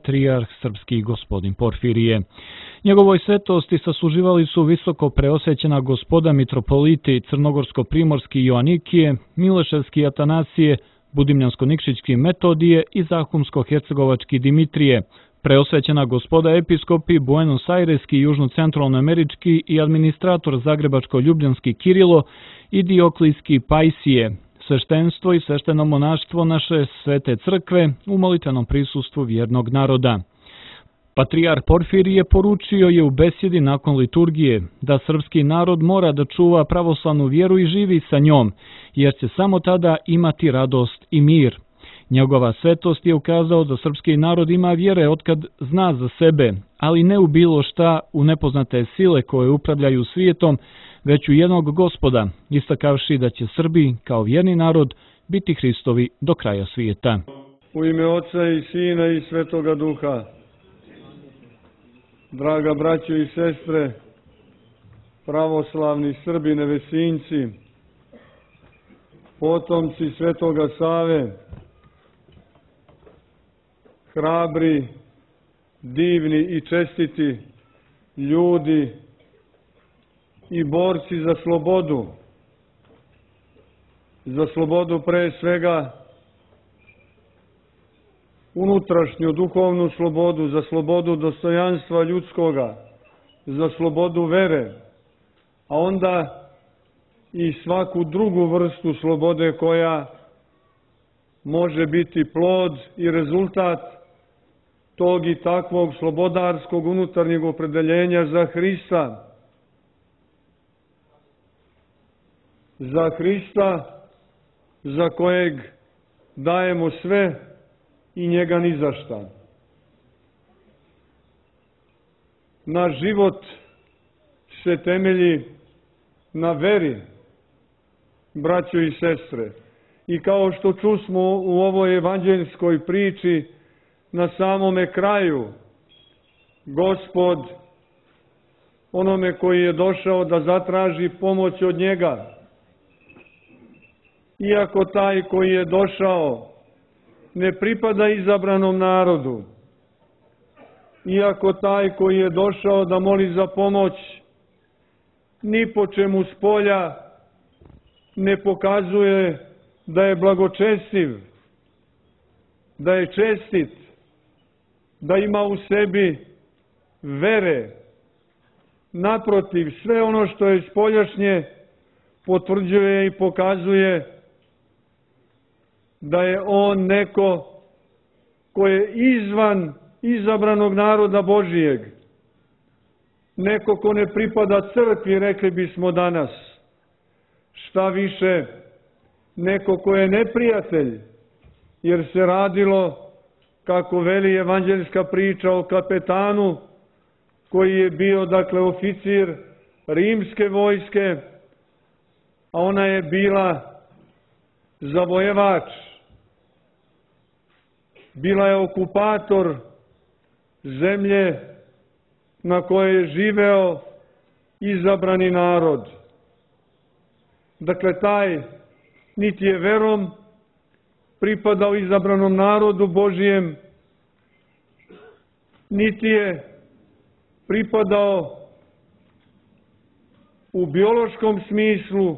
patrijarh srpski gospodin Porfirije. Njegovoj svetosti sasluživali su visoko preosvećena gospoda mitropoliti Crnogorsko-primorski Joanikije, Mileševski Atanasije, Budimljansko-Nikšićki Metodije i Zahumsko-hercegovački Dimitrije, preosvećena gospoda episkopi Buenos Aireski, južno-centralnoamerički i administrator Zagrebačko-ljubljanski Kirilo i Dioklijski Pajsije, sveštenstvo i svešteno monaštvo naše svete crkve u molitvenom prisustvu vjernog naroda. Patrijarh Porfirije poručio je u besjedi nakon liturgije da srpski narod mora da čuva pravoslavnu vjeru i živi sa njom, jer će samo tada imati radost i mir. Njegova svetost je ukazao da srpski narod ima vjere otkad zna za sebe, ali ne u bilo šta, u nepoznate sile koje upravljaju svijetom, već u jednog Gospoda, istakavši da će Srbi, kao vjerni narod, biti Hristovi do kraja svijeta. U ime Oca i Sina i Svetoga Duha, draga braćo i sestre, pravoslavni Srbi nevesinci, potomci Svetoga Save, hrabri, divni i čestiti ljudi i borci za slobodu pre svega unutrašnju duhovnu slobodu, za slobodu dostojanstva ljudskoga, za slobodu vere, a onda i svaku drugu vrstu slobode koja može biti plod i rezultat tog i takvog slobodarskog unutarnjeg opredeljenja za Hrista. Za Hrista za kojeg dajemo sve i njega ni za šta. Naš život se temelji na veri, braćo i sestre. I kao što čusmo u ovoj evanđeljskoj priči, na samome kraju, Gospod onome koji je došao da zatraži pomoć od njega, iako taj koji je došao ne pripada izabranom narodu, iako taj koji je došao da moli za pomoć ni po čemu spolja ne pokazuje da je blagočestiv, da je čestit, da ima u sebi vere. Naprotiv, sve ono što je spoljašnje potvrđuje i pokazuje da je on neko ko je izvan izabranog naroda Božijeg, neko ko ne pripada crkvi, rekli bismo danas, šta više, neko ko je neprijatelj, jer se radilo, kako veli evanđeljska priča, o kapetanu koji je bio, dakle, oficir rimske vojske, a ona je bila zavojevač, bila je okupator zemlje na kojoj je živeo izabrani narod. Dakle, taj niti je verom pripadao izabranom narodu Božijem, niti je pripadao u biološkom smislu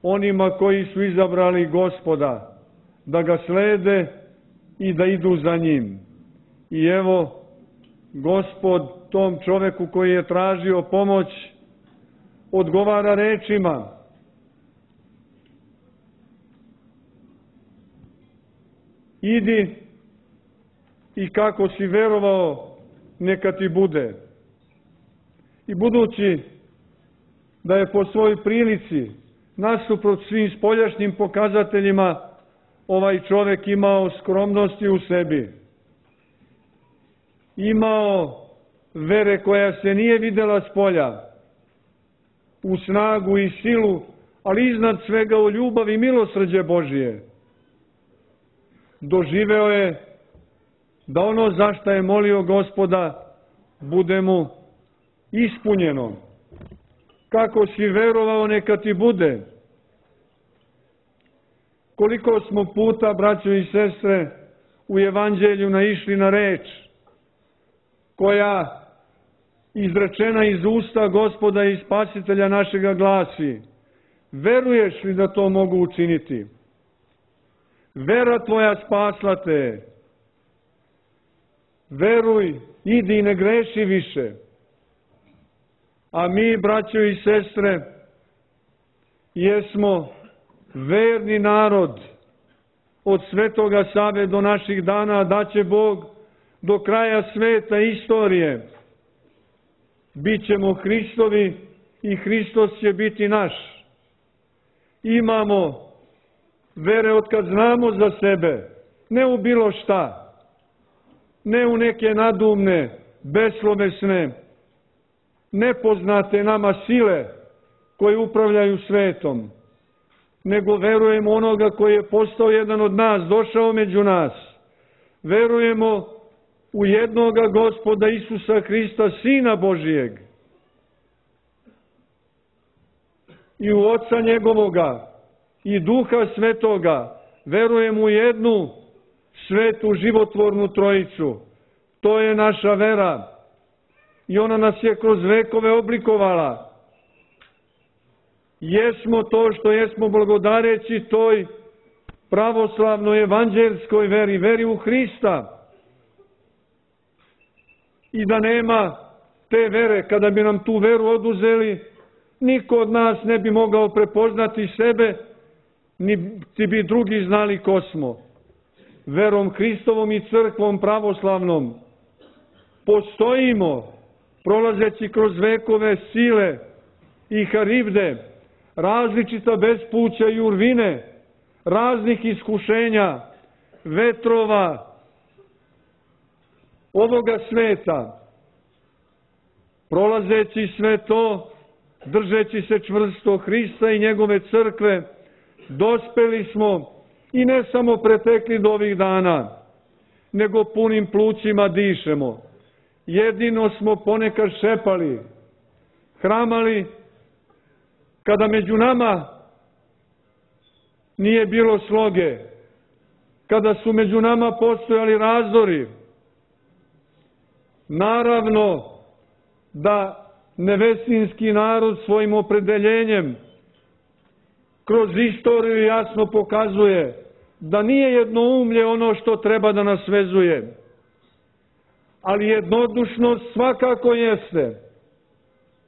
onima koji su izabrali Gospoda, da ga slede i da idu za njim. I evo, Gospod tom čoveku koji je tražio pomoć odgovara rečima: idi i kako si verovao, neka ti bude. I budući da je po svojoj prilici, nasuprot svim spoljašnjim pokazateljima, ovaj čovek imao skromnosti u sebi, imao vere koja se nije videla spolja, u snagu i silu, ali iznad svega u ljubav i milosrđe Božije, doživeo je da ono za šta je molio Gospoda bude mu ispunjeno. Kako si verovao, neka ti bude. Koliko smo puta, braćo i sestre, u evanđelju naišli na reč: koja izrečena iz usta Gospoda i Spasitelja našega glasi: veruješ li da to mogu učiniti? Vera tvoja spasla te. Veruj, idi i ne greši više. A mi, braćo i sestre, jesmo verni narod od Svetoga Save do naših dana, da će Bog do kraja sveta istorije. Bićemo Hristovi i Hristos će biti naš. Imamo vere od kad znamo za sebe, ne u bilo šta, ne u neke nadumne, beslovesne, nepoznate nama sile koje upravljaju svetom, nego verujemo onoga koji je postao jedan od nas, došao među nas. Verujemo u jednoga Gospoda Isusa Hrista, Sina Božijeg, i u Oca njegovoga i Duha Svetoga. Verujemo u jednu svetu životvornu Trojicu. To je naša vera i ona nas je kroz vekove oblikovala. Jesmo to što jesmo blagodareći toj pravoslavnoj evanđelskoj veri, veri u Hrista. I da nema te vere, kada bi nam tu veru oduzeli, niko od nas ne bi mogao prepoznati sebe, niti bi drugi znali ko smo. Verom Hristovom i crkvom pravoslavnom postojimo, prolazeći kroz vekove sile i haribde, različita bespuća i urvine, raznih iskušenja, vetrova ovoga sveta. Prolazeći sve to, držeći se čvrsto Hrista i njegove crkve, dospeli smo i ne samo pretekli do ovih dana, nego punim plućima dišemo. Jedino smo ponekad šepali, hramali, kada među nama nije bilo sloge, kada su među nama postojali razdori. Naravno da nevesinski narod svojim opredeljenjem kroz istoriju jasno pokazuje da nije jednoumlje ono što treba da nas vezuje, ali jednodušnost svakako jeste.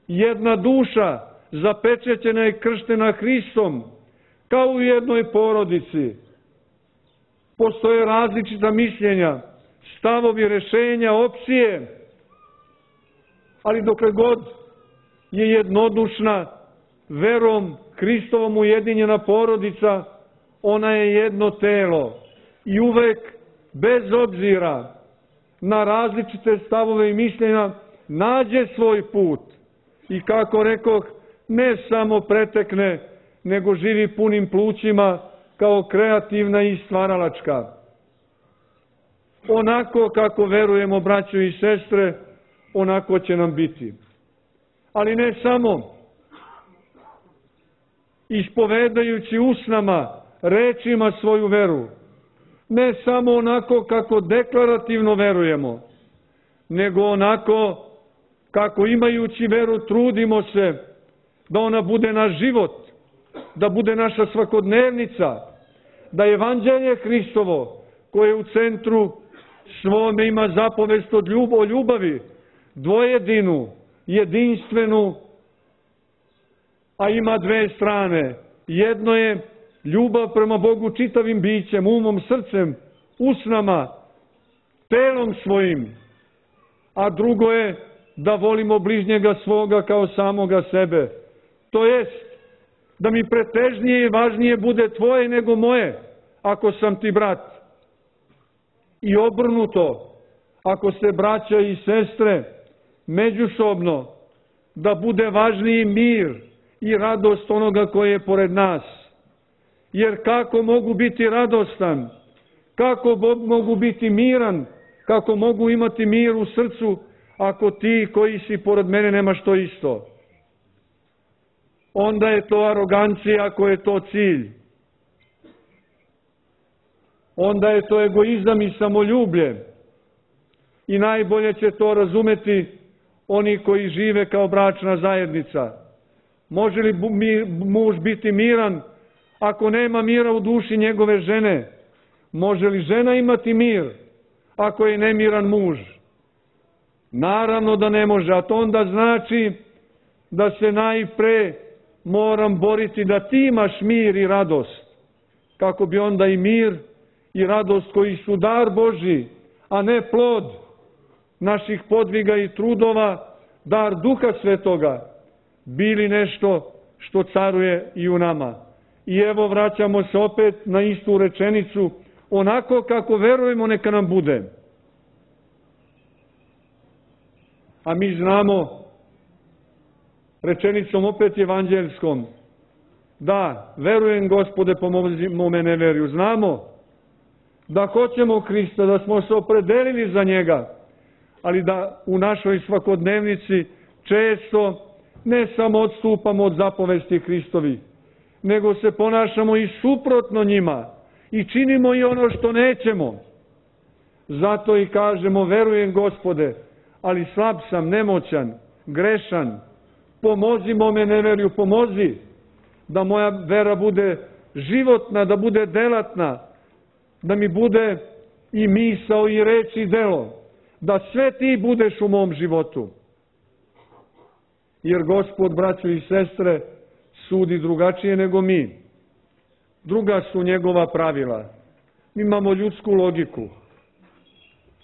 Jedna duša zapečećena i krštena Hristom, kao u jednoj porodici. Postoje različita mišljenja, stavovi, rešenja, opcije, ali dokle god je jednodušna, verom Hristovom ujedinjena porodica, ona je jedno telo i uvek, bez obzira na različite stavove i mišljenja, nađe svoj put i, kako rekoh, ne samo pretekne, nego živi punim plućima kao kreativna i stvaralačka. Onako kako verujemo, braćo i sestre, onako će nam biti. Ali ne samo ispovedajući usnama, rečima svoju veru, ne samo onako kako deklarativno verujemo, nego onako kako, imajući veru, trudimo se da ona bude naš život, da bude naša svakodnevnica, da evanđelje Hristovo, koje u centru svome ima zapovest o ljubavi, dvojedinu, jedinstvenu, a ima dve strane. Jedno je ljubav prema Bogu čitavim bićem, umom, srcem, usnama, telom svojim, a drugo je da volimo bližnjega svoga kao samoga sebe. To jest, da mi pretežnije i važnije bude tvoje nego moje, ako sam ti brat. I obrnuto, ako se braća i sestre međusobno, da bude važniji mir i radost onoga koji je pored nas. Jer kako mogu biti radostan, kako mogu biti miran, kako mogu imati mir u srcu, ako ti koji si pored mene nemaš to isto? Onda je to arogancija, ako je to cilj. Onda je to egoizam i samoljublje. i najbolje će to razumeti oni koji žive kao bračna zajednica. Može li muž biti miran ako nema mira u duši njegove žene? Može li žena imati mir ako je nemiran muž? Naravno da ne može, a to onda znači da se najpre moram boriti da ti imaš mir i radost, kako bi onda i mir i radost koji su dar Božji, a ne plod naših podviga i trudova, dar Duha Svetoga, bili nešto što caruje i u nama. I evo vraćamo se opet na istu rečenicu, onako kako verujemo neka nam bude. A mi znamo, rečenicom opet evanđelskom, da, verujem Gospode, pomozi me neverju. Znamo da hoćemo Hrista, da smo se opredelili za njega, ali da u našoj svakodnevnici često ne samo odstupamo od zapovesti Hristovi, nego se ponašamo i suprotno njima i činimo i ono što nećemo. Zato i kažemo, verujem Gospode, ali slab sam, nemoćan, grešan, pomozimo me neverju, pomozi da moja vera bude životna, da bude delatna, da mi bude i misao i reč i delo, da sve ti budeš u mom životu. Jer Gospod, braćo i sestre, sudi drugačije nego mi. Druga su njegova pravila. Mi imamo ljudsku logiku.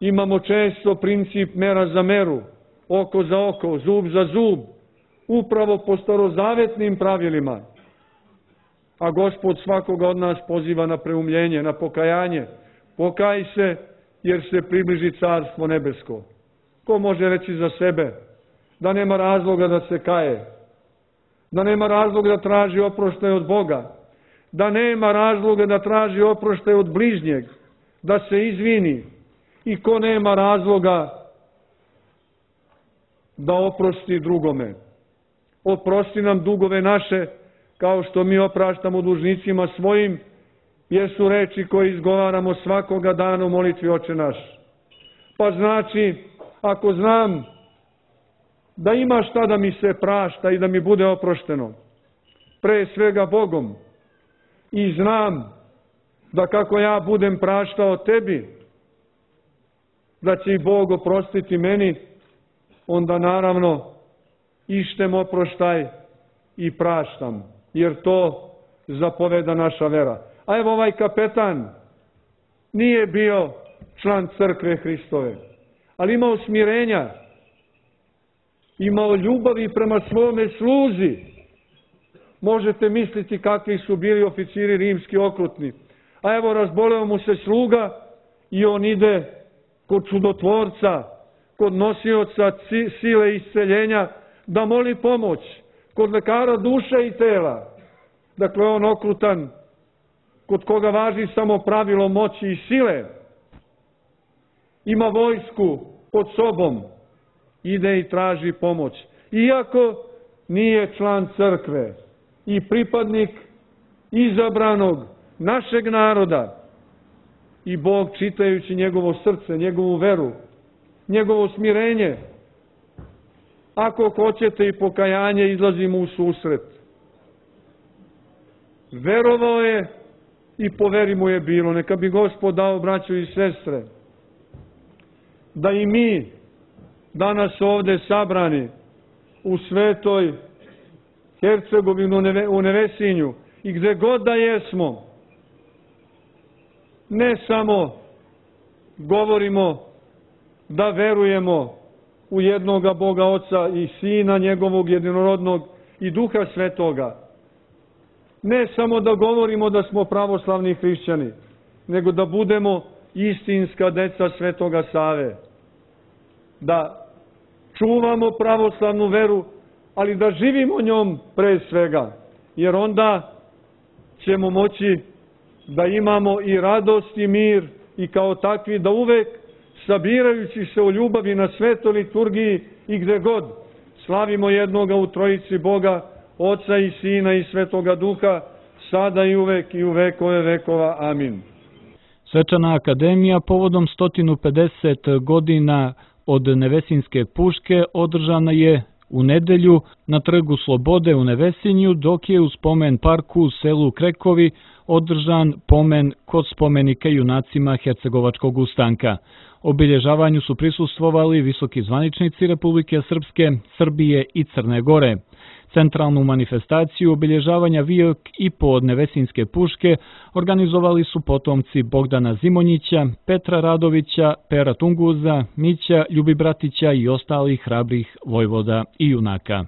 Imamo često princip mera za meru, oko za oko, zub za zub, upravo po starozavetnim pravilima. A Gospod svakoga od nas poziva na preumljenje, na pokajanje. Pokaj se, jer se približi Carstvo nebesko. Ko može reći za sebe da nema razloga da se kaje, da nema razloga da traži oproštaj od Boga, da nema razloga da traži oproštaj od bližnjeg, da se izvini, i ko nema razloga da oprosti drugome. Oprosti nam dugove naše, kao što mi opraštamo dužnicima svojim, jer su reči koje izgovaramo svakoga dana u molitvi Oče naš. Pa znači, ako znam da ima šta da mi se prašta i da mi bude oprošteno, pre svega Bogom, i znam da kako ja budem praštao tebi, da će i Bog oprostiti meni, onda naravno ištem oproštaj i praštam, jer to zapoveda naša vera. A evo ovaj kapetan nije bio član crkve Hristove, ali imao smirenja, imao ljubavi prema svome sluzi. Možete misliti kakvi su bili oficiri rimski okrutni. A evo razboleo mu se sluga i on ide kod čudotvorca, kod nosioca sile isceljenja, da moli pomoć, kod lekara duše i tela. Dakle, on okrutan, kod koga važi samo pravilo moći i sile, ima vojsku pod sobom, ide i traži pomoć. Iako nije član crkve i pripadnik izabranog našeg naroda, i Bog, čitajući njegovo srce, njegovu veru, njegovo smirenje, ako hoćete i pokajanje, izlazi mu u susret. Verovao je i po veri mu je bilo. Neka bi Gospod dao, braćo i sestre, da i mi danas ovde sabrani u Svetoj Hercegovini, u Nevesinju i gde god da jesmo, ne samo govorimo da verujemo u jednoga Boga Oca i Sina njegovog jedinorodnog i Duha Svetoga, ne samo da govorimo da smo pravoslavni hrišćani, nego da budemo istinska deca Svetoga Save, da čuvamo pravoslavnu veru, ali da živimo njom pre svega, jer onda ćemo moći da imamo i radost i mir i kao takvi da uvek, sabirajući se u ljubavi na svetoj liturgiji i gde god, slavimo jednoga u trojici Boga, Oca i Sina i Svetoga Duha, sada i uvek i u vekove vekova. Amin. Svečana akademija povodom 150 godina od Nevesinjske puške održana je u nedelju na Trgu Slobode u Nevesinju, dok je u spomen parku u selu Krekovi održan pomen kod spomenika junacima Hercegovačkog ustanka. Obilježavanju su prisustvovali visoki zvaničnici Republike Srpske, Srbije i Crne Gore. Centralnu manifestaciju obilježavanja vijek i po od Nevesinjske puške organizovali su potomci Bogdana Zimonjića, Petra Radovića, Pera Tunguza, Mića Ljubibratića i ostalih hrabrih vojvoda i junaka.